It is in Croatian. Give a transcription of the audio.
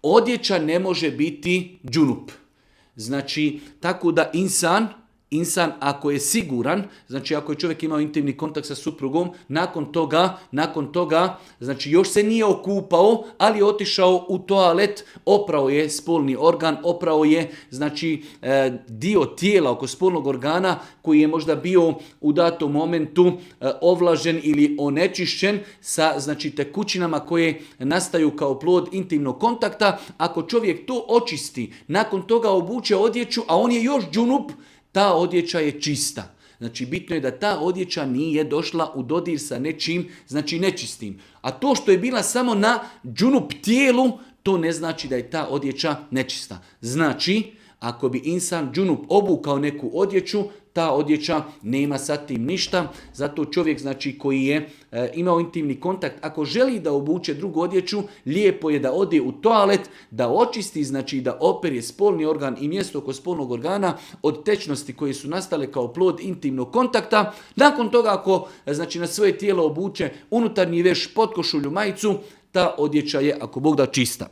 Odjeća ne može biti džunup. Znači, tako da insan ako je siguran, znači ako je čovjek imao intimni kontakt sa suprugom, nakon toga, znači još se nije okupao, ali je otišao u toalet, oprao je spolni organ, oprao je znači dio tijela oko spolnog organa koji je možda bio u datom momentu ovlažen ili onečišćen sa znači tekućinama koje nastaju kao plod intimnog kontakta. Ako čovjek to očisti, nakon toga obuče odjeću, a on je još džunup, ta odjeća je čista. Znači bitno je da ta odjeća nije došla u dodir sa nečim, znači nečistim. A to što je bila samo na džunup tijelu, to ne znači da je ta odjeća nečista. Znači, ako bi insan džunup obukao neku odjeću, ta odjeća nema sa tim ništa. Zato čovjek znači koji je imao intimni kontakt, ako želi da obuče drugu odjeću, lijepo je da ode u toalet, da očisti, znači da opere spolni organ i mjesto oko spolnog organa od tečnosti koje su nastale kao plod intimnog kontakta. Nakon toga ako znači na svoje tijelo obuče unutarnji veš, potkošulju, majicu, ta odjeća je ako Bog da čista.